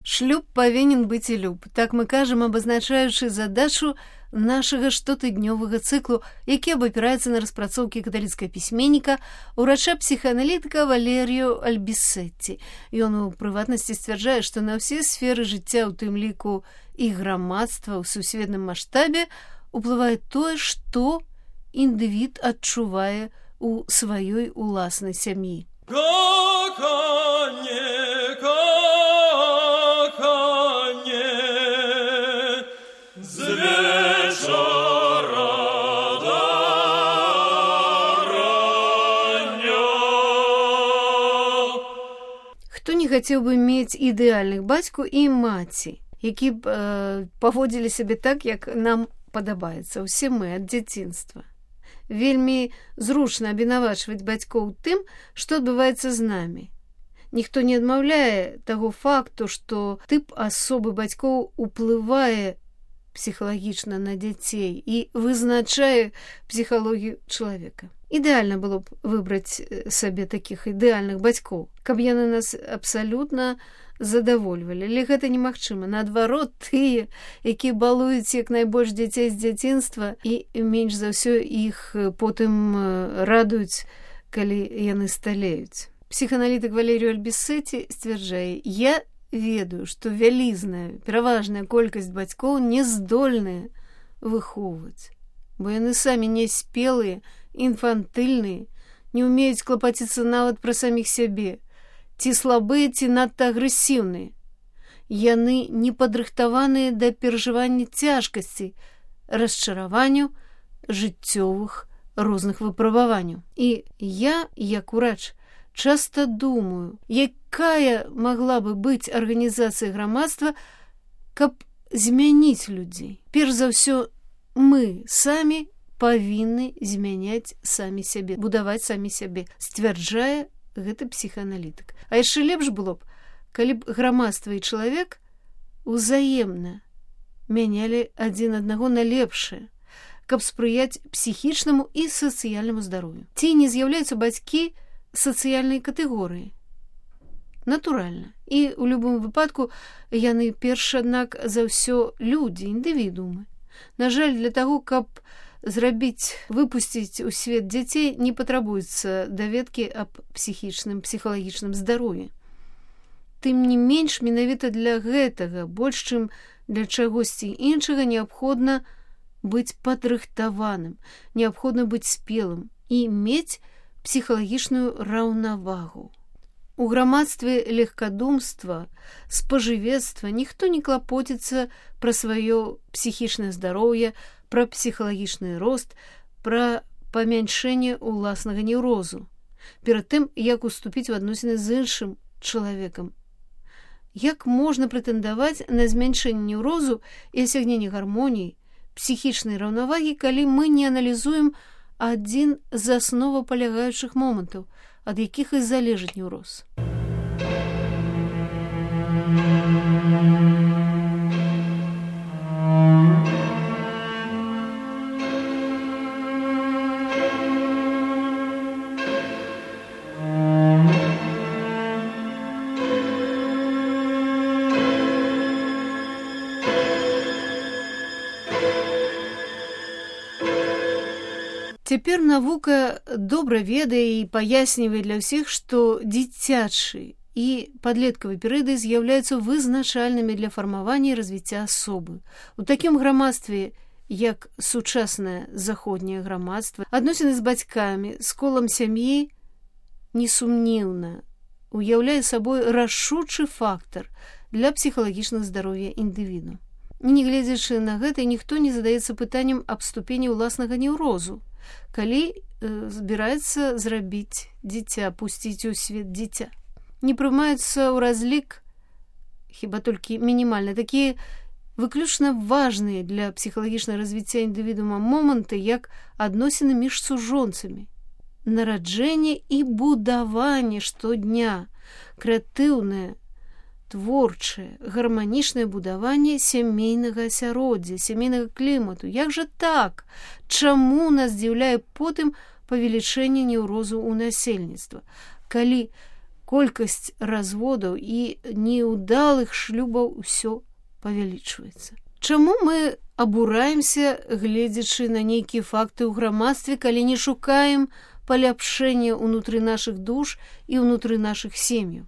Шлюб павінен быць і люб. Так мы кажам, абазначаючы задачу нашага штотыднёвага цыклу, які абапіраецца на распрацоўкі каталіцкага пісьменніка, урача-псіхааналітыка Валерію Альбісетці. Ён у прыватнасці сцвярджае, што на ўсе сферы жыцця, у тым ліку і грамадства ў сусветным маштабе, уплывае тое, што індывід адчувае у сваёй уласнай сям'і. Хто не хацеў бы мець ідэальных бацьку і маці, які б паводзілі сябе так, як нам падабаецца, усе мы ад дзяцінства. Вельмі зручна абвінавачваць бацькоў тым, што адбываецца з намі. Ніхто не адмаўляе таго факту, што тып асобы бацькоў уплывае псіхалагічна на дзяцей і вызначае псіхалогію чалавека. Ідэальна было б выбраць сабе такіх ідэальных бацькоў, каб яны нас абсалютна задавольвалі. Але гэта немагчыма. Наадварот, тыя, якія балуюць як найбольш дзяцей з дзяцінства і менш за ўсё іх потым радуюць, калі яны сталеюць. Псіхааналітык Валерію Альбісетці сцвярджае: «Я ведаю, што вялізная, пераважная колькасць бацькоў не здольныя выхоўваць, бо яны самі няспелыя, інфантыльныя, не ўмеюць клапаціцца нават пра саміх сябе, ці слабыя, ці надта агрэсіўныя. Яны не падрыхтаваныя да перажывання цяжкасцей, расчараванняў, жыццёвых розных выпрабаванняў. І я, як урач, часта думаю, якая магла бы быць арганізацыя грамадства, каб змяніць людзей. Перш за ўсё, мы самі павінны змяняць самі сябе, будаваць самі сябе, сцвярджае гэты псіхааналітык. А яшчэ лепш было б, калі б грамадства і чалавек узаемна мянялі адзін аднаго на лепшае, каб спрыяць псіхічнаму і сацыяльнаму здароўю. Ці не з'яўляюцца бацькі сацыяльнай катэгорыі? Натуральна. І ў любым выпадку яны перш, аднак, за ўсё людзі, індывідуумы. На жаль, для таго, каб выпусціць у свет дзяцей, не патрабуецца даведкі аб псіхічным, псіхалагічным здароўі. Тым не менш, менавіта для гэтага, больш чым для чагосьці іншага, неабходна быць падрыхтаваным, неабходна быць спелым і мець псіхалагічную раўнавагу. У грамадстве легкадумства, спажывецтва ніхто не клапоціцца пра сваё псіхічнае здароўе, пра псіхалагічны рост, пра памяншэнне ўласнага неўрозу, перад тым, як уступіць у адносіны з іншым чалавекам. Як можна прэтэндаваць на змяншэнне неўрозу і асягненне гармоніі, псіхічнай раўнавагі, калі мы не аналізуем адзін з асновапалягаючых момантаў, ад якіх і залежыць неўроз? Цяпер навука добра ведае і паяснівае для ўсіх, што дзіцячы і падлеткавы перыяды з'яўляюцца вызначальнымі для фармавання і развіцця асобы. У такім грамадстве, як сучаснае заходняе грамадства, адносіны з бацькамі, з колам сям'і, несумнеўна уяўляе сабой рашучы фактар для псіхалагічнага здароўя індывіду. Нягледзячы на гэта, ніхто не задаецца пытаннем аб ступені ўласнага неўрозу, калі збіраецца зрабіць дзіця, пусціць у свет дзіця. Не прымаюцца ў разлік, хіба толькі мінімальна, такія выключна важныя для псіхалагічнага развіцця індывідуума моманты, як адносіны між сужонцамі, нараджэнне і будаванне штодня, крэатыўнае, творчае, гарманічнае будаванне сямейнага асяроддзя, сямейнага клімату. Як жа так? Чаму нас здзіўляе потым павелічэнне неўрозу ў насельніцтва? Калі колькасць разводаў і неўдалых шлюбаў усё павялічваецца. Чаму мы абураемся, гледзячы на нейкія факты ў грамадстве, калі не шукаем паляпшэння ўнутры нашых душ і ўнутры нашых сем'яў?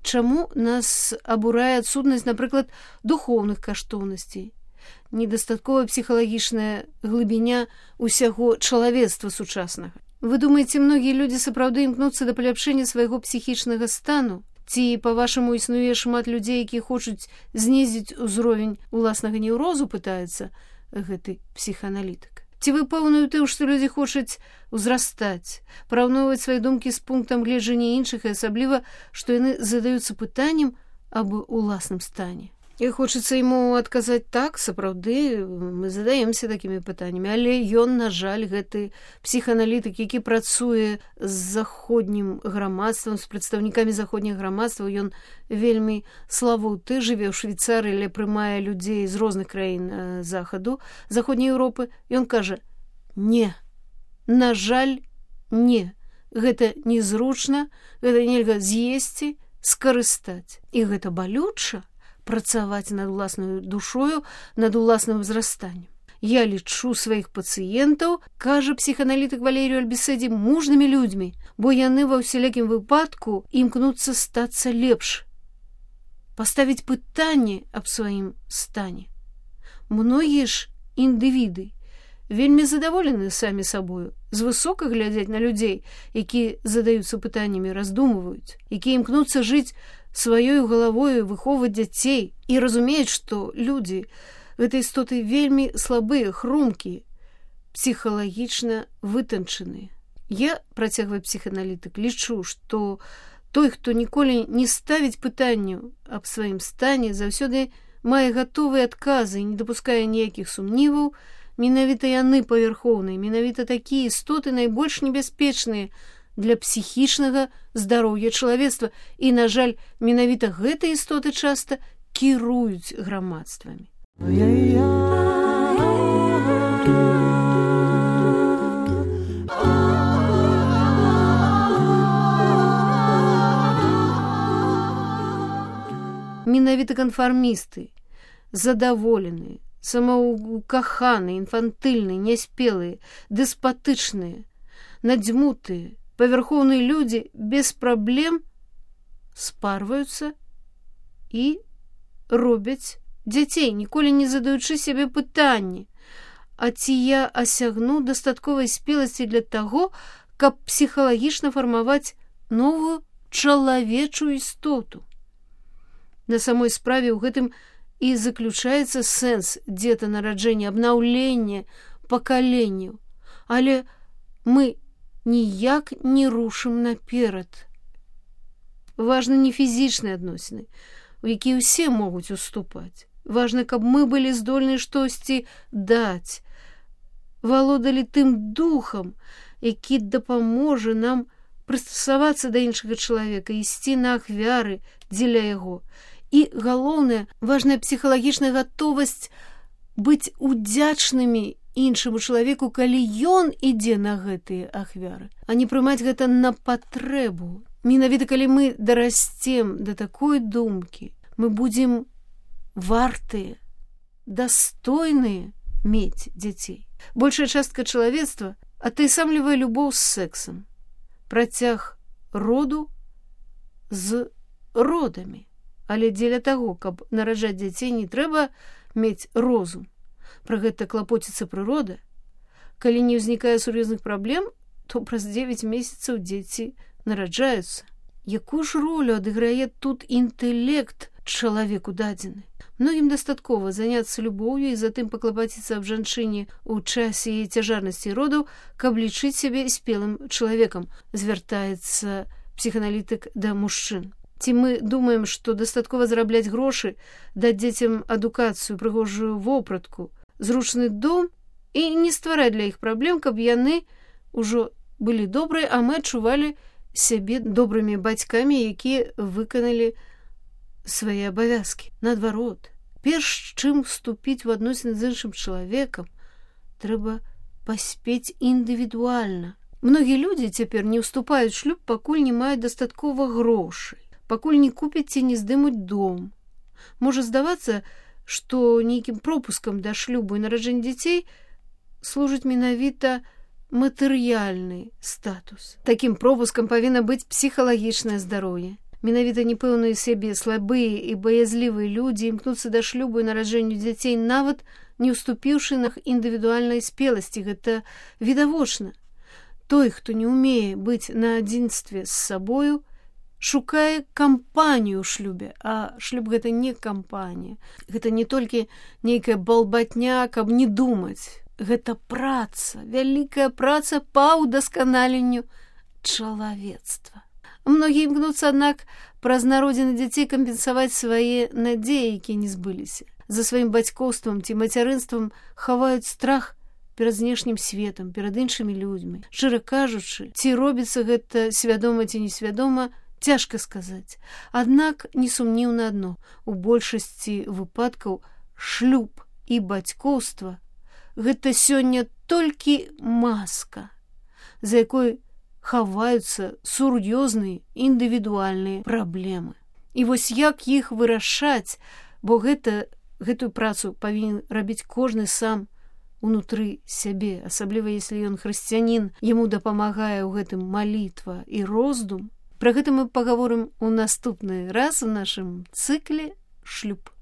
Чаму нас абурае адсутнасць, напрыклад, духоўных каштоўнасцей, недастатковая псіхалагічная глыбіня ўсяго чалавецтва сучаснага? Вы думаеце, многія людзі сапраўды імкнуцца да паляпшэння свайго псіхічнага стану? Ці, па-вашаму, існуе шмат людзей, якія хочуць знізіць узровень уласнага неўрозу, пытаецца гэты псіхааналітык? Ці вы пэўны ў тым, што людзі хочуць узрастаць, параўноўваць свае думкі з пунктам гледжання іншых, і асабліва, што яны задаюцца пытаннем аб уласным стане? І хочацца яму адказаць так, сапраўды, мы задаемся такімі пытаннямі, але ён, на жаль, гэты псіхааналітык, які працуе з заходнім грамадствам, з прадстаўнікамі заходняга грамадства, ён вельмі славуты, жыве ў Швейцарыі, але прымае людзей з розных краін захаду, заходняй Еўропы. Ён кажа: не, на жаль, не. Гэта незручна, гэта нельга з'есці, скарыстаць. І гэта балюча, працаваць над уласнаю душою, над уласным узрастаннем. Я лічу сваіх пацыентаў, кажа псіхааналітык Валерію Альбіседзі, мужнымі людзьмі, бо яны ва ўсялякім выпадку імкнуцца стацца лепш, паставіць пытанне аб сваім стане. Многія ж індывіды вельмі задаволены самі сабою, звысока глядзяць на людзей, якія задаюцца пытаннямі, раздумваюць, якія імкнуцца жыць сваёй галавою, выхоўваць дзяцей і разумеюць, што людзі гэтай істоты вельмі слабыя, хрумкія, псіхалагічна вытанчаныя. Я, працягвае псіхааналітык, лічу, што той, хто ніколі не ставіць пытанняў аб сваім стане, заўсёды мае гатовыя адказы і не дапускае ніякіх сумніваў. Менавіта яны павярхоўныя, менавіта такія істоты найбольш небяспечныя для псіхічнага здароўя чалавецтва. І, на жаль, менавіта гэтыя істоты часта кіруюць грамадствамі. Менавіта канфармісты, задаволеныя, самаўкаханыя, інфантыльныя, няспелыя, дэспатычныя, надзьмутыя, павярхоўныя людзі без праблем спарваюцца і робяць дзяцей, ніколі не задаючы сябе пытанні: а ці я асягну дастатковай спеласці для таго, каб псіхалагічна фармаваць новую чалавечую істоту? На самой справе ў гэтым і заключаецца сэнс дзетанараджэння, абнаўлення пакаленняў. Але мы ніяк не рушым наперад. Важны не фізічныя адносіны, у якія ўсе могуць уступаць. Важна, каб мы былі здольны штосьці даць, валодалі тым духам, які дапаможа нам прыстасавацца да іншага чалавека, ісці на ахвяры дзеля яго. І, галоўнае, важная псіхалагічная гатовасць быць удзячнымі іншаму чалавеку, калі ён ідзе на гэтыя ахвяры, а не прымаць гэта на патрэбу. Менавіта калі мы дарасцем да такой думкі, мы будзем вартыя, дастойныя мець дзяцей. Большая частка чалавецтва атаясамлівае любоў з сэксам, працяг роду з родамі. Але дзеля таго, каб нараджаць дзяцей, не трэба мець розум. Пра гэта клапоціцца прырода. Калі не ўзнікае сур'ёзных праблем, то праз 9 месяцаў дзеці нараджаюцца. Якую ж ролю адыграе тут інтэлект чалавеку дадзены? Многім дастаткова заняцца любоўю і затым паклапаціцца аб жанчыне ў часе яе цяжарнасці родаў, каб лічыць сябе спелым чалавекам, звяртаецца псіхааналітык да мужчын. Ці мы думаем, што дастаткова зарабляць грошы, даць дзецям адукацыю, прыгожую вопратку, зручны дом і не ствараць для іх праблем, каб яны ўжо былі добрыя, а мы адчувалі сябе добрымі бацькамі, якія выканалі свае абавязкі. Наадварот, перш чым вступіць у адносіны з іншым чалавекам, трэба паспець індывідуальна. Многія людзі цяпер не ўступаюць у шлюб, пакуль не маюць дастаткова грошай, пакуль не купяць ці не здымуць дом. Можа здавацца, што нейкім пропускам да шлюбу і нараджэння дзяцей служыць менавіта матэрыяльны статус. Такім пропускам павінна быць псіхалагічнае здароўе. Менавіта непэўныя сябе слабыя і баязлівыя людзі імкнуцца да шлюбу і нараджэнню дзяцей, нават не ўступіўшы на індывідуальнай спеласці. Гэта відавочна. Той, хто не ўмее быць на адзінстве з сабою, шукае кампанію ў шлюбе, а шлюб гэта не кампанія. Гэта не толькі нейкая балбатня, каб не думаць. Гэта праца, вялікая праца па ўдасканаленню чалавецтва. Многія імкнуцца, аднак, праз народзіны дзяцей кампенсаваць свае надзеі, якія не збыліся. За сваім бацькоўствам ці мацярынствам хаваюць страх перад знешнім светам, перад іншымі людзьмі. Шчыра кажучы, ці робіцца гэта свядома ці несвядома, цяжка сказаць. Аднак несумнеўна адно: у большасці выпадкаў шлюб і бацькоўства гэта сёння толькі маска, за якой хаваюцца сур'ёзныя індывідуальныя праблемы. І вось як іх вырашаць, бо гэтую працу павінен рабіць кожны сам унутры сябе, асабліва если ён хрысціянін, яму дапамагае ў гэтым малітва і роздум. Пра гэта мы пагаворым у наступны раз у нашым цыкле «Шлюб».